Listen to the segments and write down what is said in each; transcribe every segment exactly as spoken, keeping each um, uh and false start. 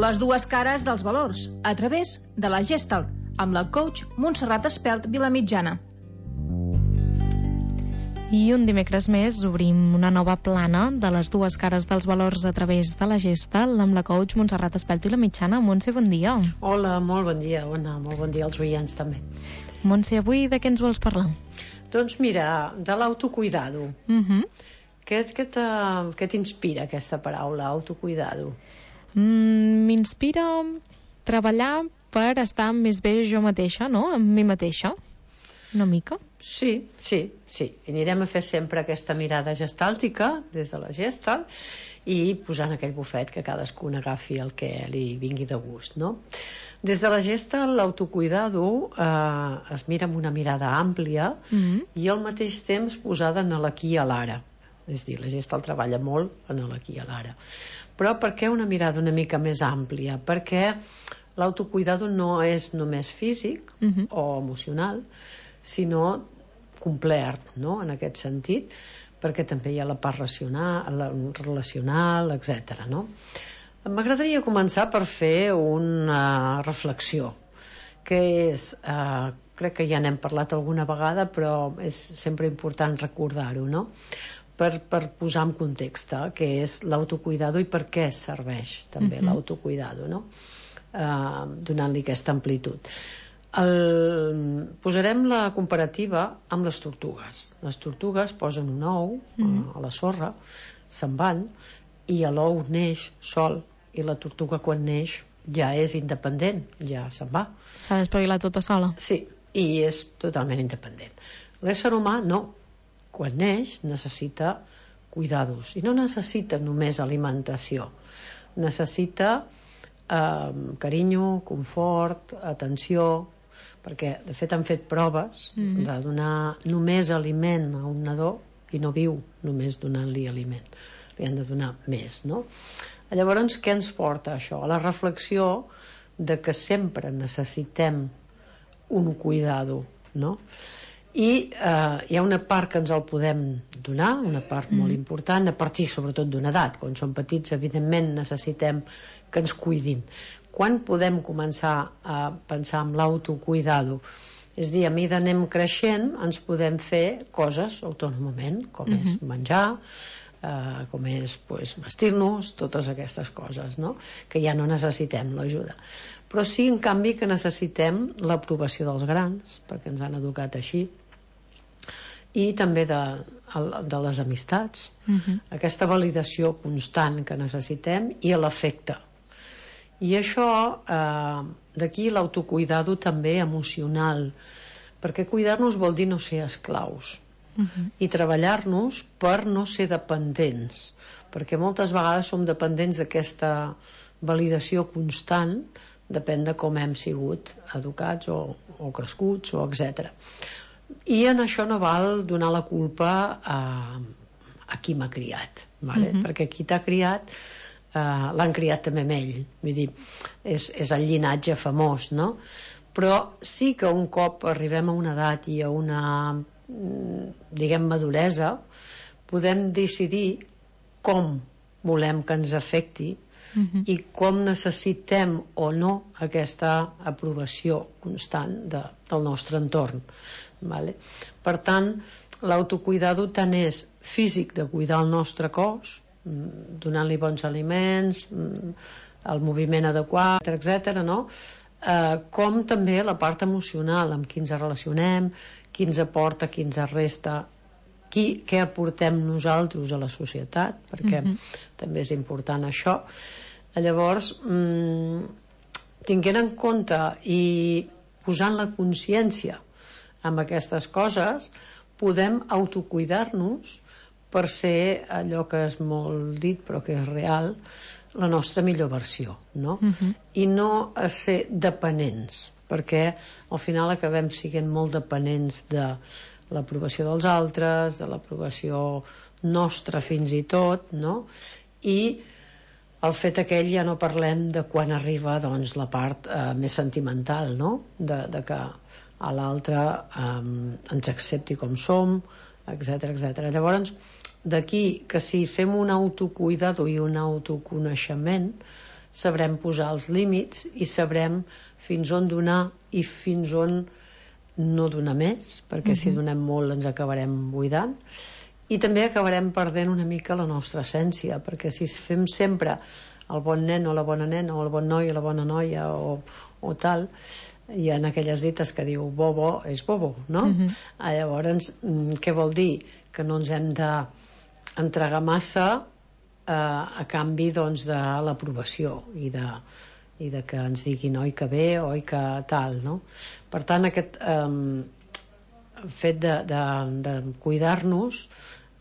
Les dues cares dels valors, a través de la Gestalt, amb la coach Montserrat Espelt Vilamitjana. I un dimecres més obrim una nova plana de les dues cares dels valors a través de la Gestalt amb la coach Montserrat Espelt Vilamitjana. Montse, bon dia. Hola, molt bon dia, Ona, molt bon dia als oients també. Montse, avui de què ens vols parlar? Doncs mira, de l'autocuidado. Uh-huh. Què, què, què t'inspira aquesta paraula, autocuidado? Mm, m'inspira treballar per estar més bé jo mateixa, no? Amb mi mateixa, una mica. Sí, sí, sí. I anirem a fer sempre aquesta mirada gestàltica des de la Gestalt i posant aquell bufet que cadascun agafi el que li vingui de gust, no? Des de la Gestalt, l'autocuidado eh, es mira amb una mirada àmplia mm-hmm. i al mateix temps posada en l'aquí i a l'ara. És a dir, la Gestalt treballa molt en l'aquí i a l'ara. Però per què una mirada una mica més àmplia? Perquè l'autocuidado no és només físic mm-hmm. o emocional, sinó complet, no? En aquest sentit, perquè també hi ha la part racional, la relacional, etcètera, no? M'agradaria començar per fer una reflexió, que és, eh, crec que ja n'hem parlat alguna vegada, però és sempre important recordar-ho, no? Per, per posar en context, eh, què és l'autocuidado i per què serveix també uh-huh. l'autocuidado, no? Eh, donant-li aquesta amplitud. El, posarem la comparativa amb les tortugues. Les tortugues posen un ou uh-huh. a la sorra, se'n van i l'ou neix sol i la tortuga quan neix ja és independent, ja se'n va. S'ha d'espavilar tota sola. Sí, i és totalment independent. L'ésser humà no. Quan neix necessita cuidados i no necessita només alimentació, necessita eh, carinyo, confort, atenció, perquè de fet han fet proves mm-hmm. de donar només aliment a un nadó i no viu només donant-li aliment, li han de donar més, no? Llavors, què ens porta això? A la reflexió de que sempre necessitem un cuidado, no? I eh, hi ha una part que ens el podem donar, una part mm. molt important, a partir sobretot d'una edat. Quan som petits, evidentment, necessitem que ens cuidin. Quan podem començar a pensar en l'autocuidado? És a dir, a mesura que anem creixent, ens podem fer coses autònomament, com mm-hmm. és menjar, eh, com és pues, vestir-nos, totes aquestes coses, no? Que ja no necessitem l'ajuda. Però sí, en canvi, que necessitem l'aprovació dels grans, perquè ens han educat així, i també de, de les amistats, uh-huh. aquesta validació constant que necessitem i l'afecte. I això, eh, d'aquí l'autocuidado també emocional, perquè cuidar-nos vol dir no ser esclaus uh-huh. i treballar-nos per no ser dependents, perquè moltes vegades som dependents d'aquesta validació constant, depèn de com hem sigut educats o, o crescuts o etcètera. I en això no val donar la culpa a, a qui m'ha criat, vale? Uh-huh. Perquè qui t'ha criat eh, l'han criat també amb ell, vull dir, és, és el llinatge famós, no? Però sí que un cop arribem a una edat i a una, diguem, maduresa, podem decidir com volem que ens afecti uh-huh. i com necessitem o no aquesta aprovació constant de, del nostre entorn. Vale? Per tant, l'autocuidado tant és físic, de cuidar el nostre cos, donant-li bons aliments, el moviment adequat, etcètera, no? Eh, com també la part emocional, amb qui ens relacionem, qui ens aporta, qui ens resta, qui, què aportem nosaltres a la societat, perquè mm-hmm. també és important això. Llavors, mmm, tinguent en compte i posant la consciència amb aquestes coses, podem autocuidar-nos per ser allò que és molt dit però que és real, la nostra millor versió, no? Uh-huh. I no a ser dependents, perquè al final acabem sent molt dependents de l'aprovació dels altres, de l'aprovació nostra fins i tot, no? I el fet aquell ja no parlem de quan arriba doncs, la part eh, més sentimental, no? De, de que a l'altre eh, ens accepti com som, etcètera, etcètera. Llavors, d'aquí que si fem un autocuidado i un autoconeixement, sabrem posar els límits i sabrem fins on donar i fins on no donar més, perquè uh-huh. si donem molt ens acabarem buidant, i també acabarem perdent una mica la nostra essència, perquè si fem sempre el bon nen o la bona nena o el bon noi o la bona noia o, o tal, hi ha aquelles dites que diu bobo és bobo, no? Uh-huh. Ah, llavors, què vol dir? Que no ens hem d'entregar massa eh, a canvi doncs, de l'aprovació i de, i de que ens diguin oi que bé, oi que tal, no? Per tant, aquest eh, fet de, de, de cuidar-nos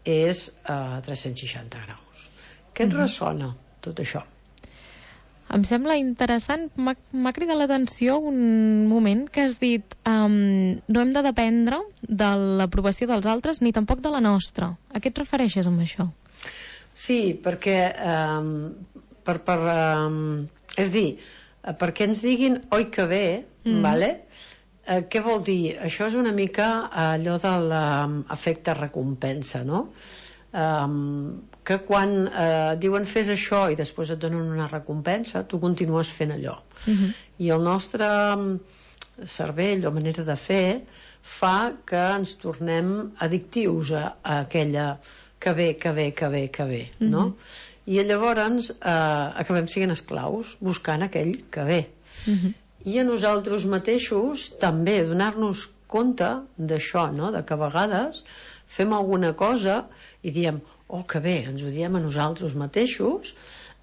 és a tres-cents seixanta graus. Què et uh-huh. ressona tot això? Em sembla interessant, m'ha cridat l'atenció un moment que has dit um, no hem de dependre de l'aprovació dels altres ni tampoc de la nostra. A què et refereixes amb això? Sí, perquè um, per, per, um, és dir, perquè ens diguin oi que bé, mm. vale? Uh, què vol dir? Això és una mica allò de l'efecte recompensa, no? Um, que quan uh, diuen fes això i després et donen una recompensa, tu continues fent allò. Uh-huh. I el nostre cervell o manera de fer fa que ens tornem addictius a, a aquella que bé, que bé, que bé, que bé, uh-huh. no? I llavors uh, acabem sent esclaus buscant aquell que bé. Uh-huh. I a nosaltres mateixos també donar-nos compte d'això, no? De que a vegades fem alguna cosa i diem, oh, que bé, ens ho diem a nosaltres mateixos,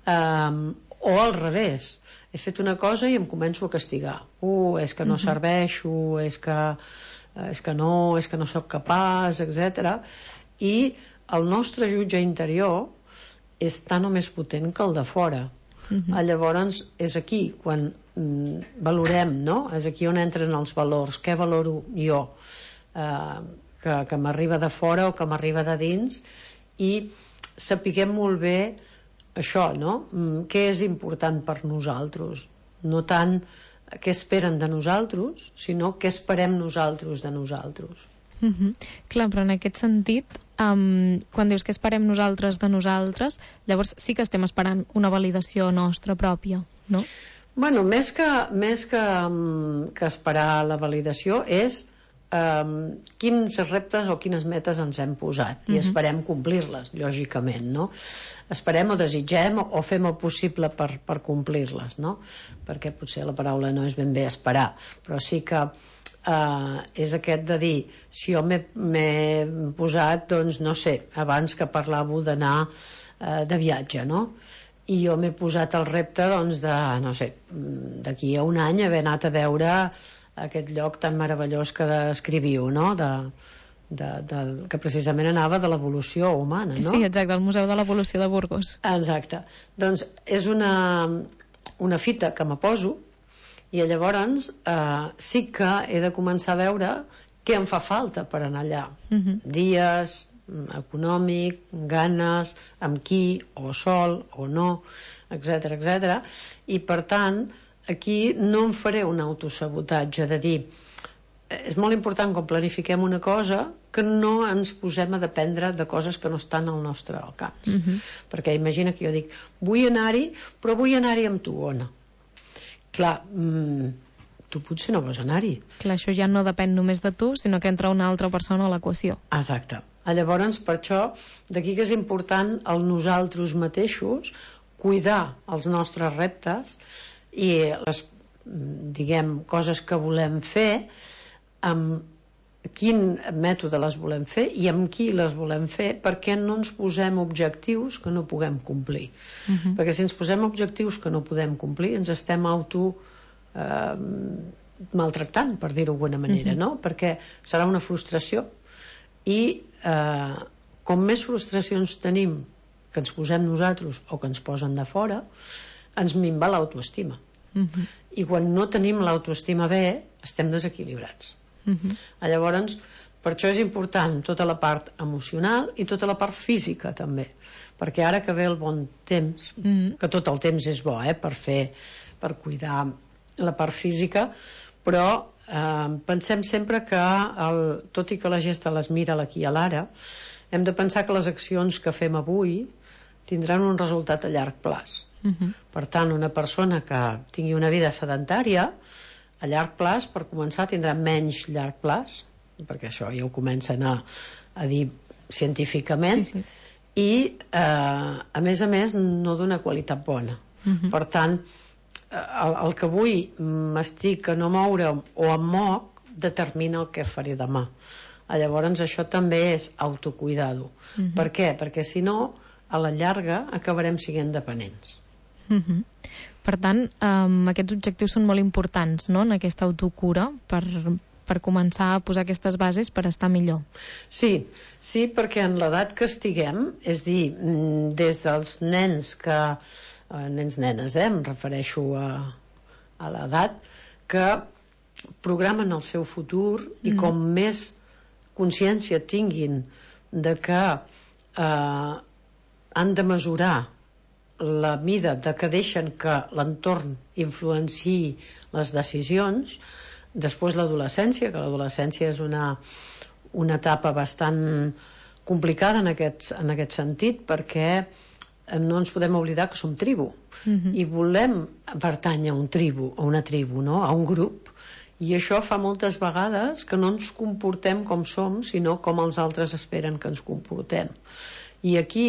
um, o al revés, he fet una cosa i em començo a castigar. Uh, és que no uh-huh. serveixo, és que, és que no, és que no sóc capaç, etcètera. I el nostre jutge interior és tan o més potent que el de fora. Uh-huh. Llavors és aquí quan mm, valorem, no? És aquí on entren els valors. Què valoro jo? Uh, que, que m'arriba de fora o que m'arriba de dins, i sapiguem molt bé això, no? Mm, què és important per nosaltres, no tant què esperen de nosaltres, sinó què esperem nosaltres de nosaltres. Uh-huh. Clar, però en aquest sentit, um, quan dius que esperem nosaltres de nosaltres, llavors sí que estem esperant una validació nostra pròpia, no? Bueno, més que, més que, um, que esperar la validació és um, quins reptes o quines metes ens hem posat, i uh-huh. esperem complir-les, lògicament, no? Esperem o desitgem o, o fem el possible per, per complir-les, no? Perquè potser la paraula no és ben bé esperar, però sí que Uh, és aquest de dir, si jo m'he posat, doncs no sé, abans que parlàveu d'anar uh, de viatge, no? I jo m'he posat el repte doncs de, no sé, d'aquí a un any haver anat a veure aquest lloc tan meravellós que descriviu, no? De, de, de, que precisament anava de l'evolució humana, no? Sí, exacte, el Museu de l'Evolució de Burgos. Exacte, doncs és una, una fita que me poso, i llavors eh, sí que he de començar a veure què em fa falta per anar allà. Uh-huh. Dies, econòmic, ganes, amb qui, o sol, o no, etcètera, etcètera. I per tant, aquí no em faré un autosabotatge de dir, és molt important quan planifiquem una cosa que no ens posem a dependre de coses que no estan al nostre alcance. Uh-huh. Perquè imagina que jo dic, vull anar-hi, però vull anar-hi amb tu, Ona. Clar, mmm, tu potser no vols anar-hi. Clar, això ja no depèn només de tu, sinó que entra una altra persona a l'equació. Exacte. Llavors, per això, d'aquí que és important el nosaltres mateixos cuidar els nostres reptes i les, diguem, coses que volem fer, amb quin mètode les volem fer i amb qui les volem fer, perquè no ens posem objectius que no puguem complir. Uh-huh. Perquè si ens posem objectius que no podem complir, ens estem auto eh, maltractant, per dir-ho d'alguna manera, uh-huh. no? Perquè serà una frustració i eh, com més frustracions tenim que ens posem nosaltres o que ens posen de fora, ens minva l'autoestima. Uh-huh. I quan no tenim l'autoestima bé, estem desequilibrats. Uh-huh. Llavors, per això és important tota la part emocional i tota la part física també, perquè ara que ve el bon temps, uh-huh. que tot el temps és bo, eh, per fer, per cuidar la part física, però eh, pensem sempre que el, tot i que la gesta les mira l'aquí a l'ara, hem de pensar que les accions que fem avui tindran un resultat a llarg plaç. Uh-huh. Per tant, una persona que tingui una vida sedentària, a llarg plaç, per començar, tindrà menys llarg plaç, perquè això ja ho comencen a, a dir científicament, sí, sí. I eh, a més a més no d'una qualitat bona. Uh-huh. Per tant, el, el que avui m'estic a no moure o em moc determina el que faré demà. Llavors això també és autocuidar-ho. Uh-huh. Per què? Perquè si no, a la llarga acabarem sent dependents. Uh-huh. Per tant, um, aquests objectius són molt importants, no?, en aquesta autocura, per, per començar a posar aquestes bases per estar millor. Sí, sí, perquè en l'edat que estiguem, és dir, des dels nens que... Eh, nens, nenes, eh, em refereixo a, a l'edat, que programen el seu futur i mm. com més consciència tinguin de que eh, han de mesurar la mida de que deixen que l'entorn influenciï les decisions. Després l'adolescència, que l'adolescència és una, una etapa bastant complicada en aquest, en aquest sentit, perquè no ens podem oblidar que som tribu. Uh-huh. I volem pertànyer a un tribu, a una tribu, no?, a un grup. I això fa moltes vegades que no ens comportem com som, sinó com els altres esperen que ens comportem. I aquí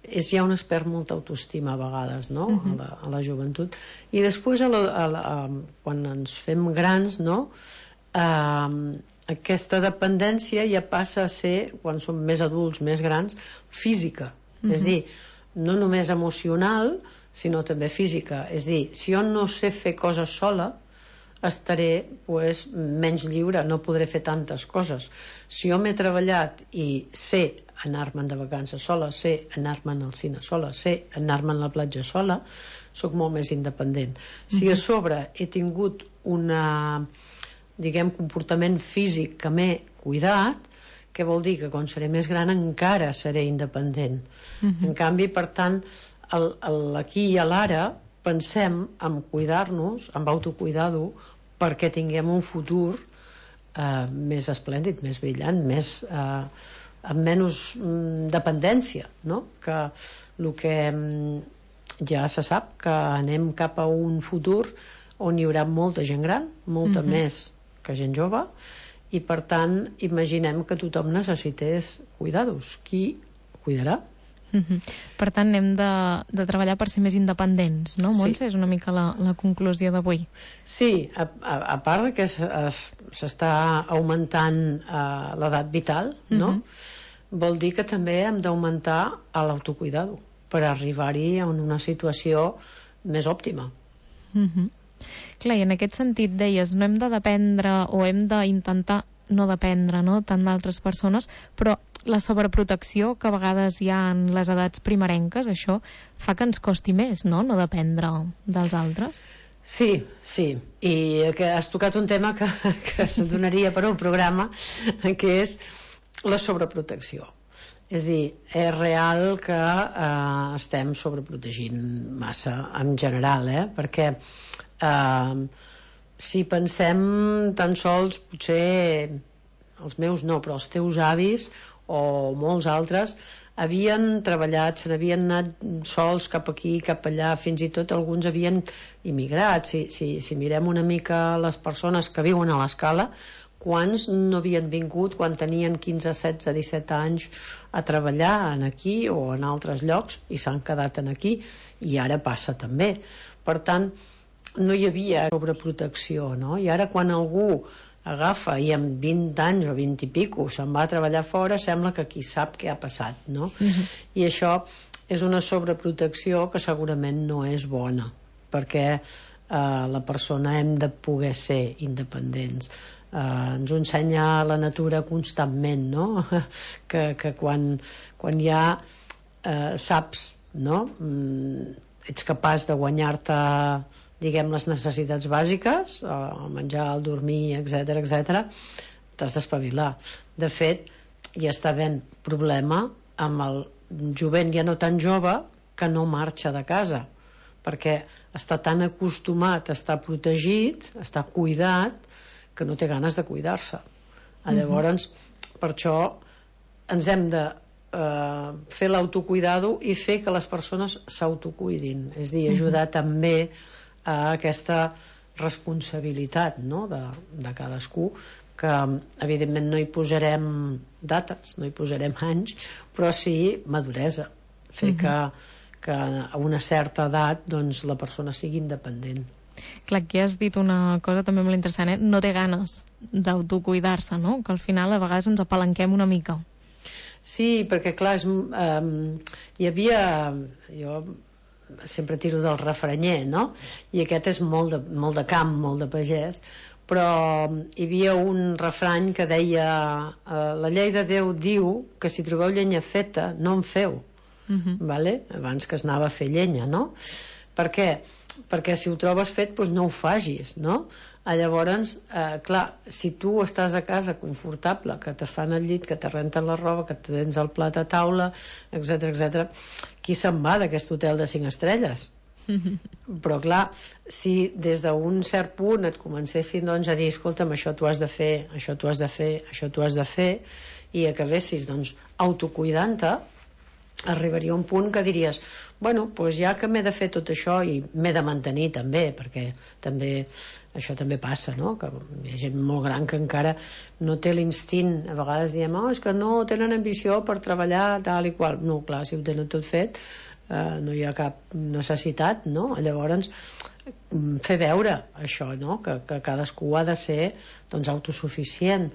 és ja on es perd molta autoestima a vegades, no?, uh-huh. a, la, a la joventut. I després a la, a la, a, quan ens fem grans, no?, eh, aquesta dependència ja passa a ser, quan som més adults, més grans, física. Uh-huh. És dir, no només emocional, sinó també física. És dir, si jo no sé fer coses sola, estaré pues, menys lliure, no podré fer tantes coses. Si jo m'he treballat i sé anar-me'n de vacances sola, sé anar-me'n al cine sola, sé anar-me'n a la platja sola, sóc molt més independent. Si a sobre he tingut una, diguem, comportament físic que m'he cuidat, què vol dir? Que quan seré més gran encara seré independent. Uh-huh. En canvi, per tant, el, el, aquí i a l'ara pensem en cuidar-nos, en autocuidar-ho, perquè tinguem un futur eh, més esplèndid, més brillant, més, eh, amb menys mm, dependència, no? Que el que mm, ja se sap, que anem cap a un futur on hi haurà molta gent gran, molta uh-huh. més que gent jove, i per tant imaginem que tothom necessités cuidar-los. Qui cuidarà? Uh-huh. Per tant hem de, de treballar per ser més independents, no, Montse? Sí. És una mica la, la conclusió d'avui. Sí, a, a, a part que s'està augmentant uh, l'edat vital, no? Uh-huh. Vol dir que també hem d'augmentar l'autocuidar-ho per arribar-hi a una situació més òptima. Uh-huh. Clar, i en aquest sentit deies, no hem de dependre o hem d'intentar no dependre, no?, tant d'altres persones, però la sobreprotecció que a vegades hi ha en les edats primerenques, això fa que ens costi més, no?, no dependre dels altres. Sí, sí, i que has tocat un tema que, que se'n donaria per un programa, que és la sobreprotecció. És dir, és real que eh, estem sobreprotegint massa en general, eh? Perquè Uh, si pensem tan sols, potser els meus no, però els teus avis o molts altres havien treballat, se n'havien anat sols cap aquí, cap allà, fins i tot alguns havien immigrat. Si, si, si mirem una mica les persones que viuen a l'Escala, quants no havien vingut quan tenien quinze, setze, disset anys a treballar en aquí o en altres llocs i s'han quedat en aquí, i ara passa també. Per tant, no hi havia sobreprotecció, no? I ara quan algú agafa i amb vint anys o vint i pico se'n va a treballar fora, sembla que qui sap què ha passat, no? Uh-huh. I això és una sobreprotecció que segurament no és bona, perquè eh, la persona hem de poder ser independents. Eh, ens ho ensenya la natura constantment, no? que, que quan, quan ja eh, saps, no? Mm, ets capaç de guanyar-te, diguem, les necessitats bàsiques, el menjar, el dormir, etcètera, etcètera, t'has d'espavilar. De fet, hi està havent problema amb el jovent ja no tan jove que no marxa de casa, perquè està tan acostumat a estar protegit, a estar cuidat, que no té ganes de cuidar-se. Uh-huh. Llavors, per això ens hem de eh, fer l'autocuidado i fer que les persones s'autocuidin, és a dir, ajudar uh-huh. també a aquesta responsabilitat, no? de, de cadascú, que evidentment no hi posarem dates, no hi posarem anys, però sí maduresa, fer uh-huh. que, que a una certa edat doncs, la persona sigui independent. Clar, aquí has dit una cosa també molt interessant, eh? No té ganes d'autocuidar-se, no? Que al final a vegades ens apalanquem una mica. Sí, perquè clar, és, um, hi havia... Jo sempre tiro del refranyer, no? I aquest és molt de, molt de camp, molt de pagès, però hi havia un refrany que deia uh, la llei de Déu diu que si trobeu llenya feta no en feu, uh-huh. vale? Abans que es anava a fer llenya, no? Per què? Perquè si ho trobes fet doncs no ho facis, no? Llavors, eh, clar, si tu estàs a casa confortable, que te fan el llit, que te renten la roba, que tens el plat a taula, etc etcètera, qui se'n va d'aquest hotel de cinc estrelles? Però clar, si des d'un cert punt et comencessin doncs, a dir, escolta'm, això tu has de fer, això tu has de fer, això tu has de fer, i acabessis doncs, autocuidant-te, arribaria un punt que diries, bueno, doncs ja que m'he de fer tot això i m'he de mantenir també, perquè també això també passa, no? Que hi ha gent molt gran que encara no té l'instint, a vegades diem, oh, és que no tenen ambició per treballar tal i qual, no, clar, si ho tenen tot fet eh, no hi ha cap necessitat, no? Llavors fer veure això, no? Que, que cadascú ha de ser doncs autosuficient,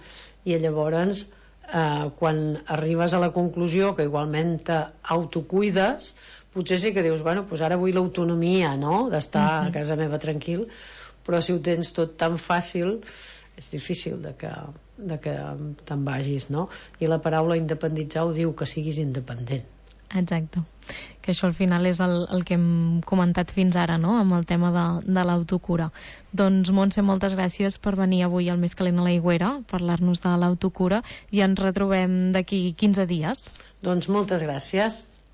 i llavors Uh, quan arribes a la conclusió que igualment t'autocuides, potser sí que dius, bueno, doncs ara vull l'autonomia, no? D'estar uh-huh. a casa meva tranquil, però si ho tens tot tan fàcil és difícil de que, de que te'n vagis, no? I la paraula independitzar ho diu, que siguis independent. Exacte, que això al final és el, el que hem comentat fins ara, no?, amb el tema de, de l'autocura. Doncs Montse, moltes gràcies per venir avui al Més calent a l'Aigüera, parlar-nos de l'autocura, i ens retrobem d'aquí quinze dies. Doncs moltes gràcies.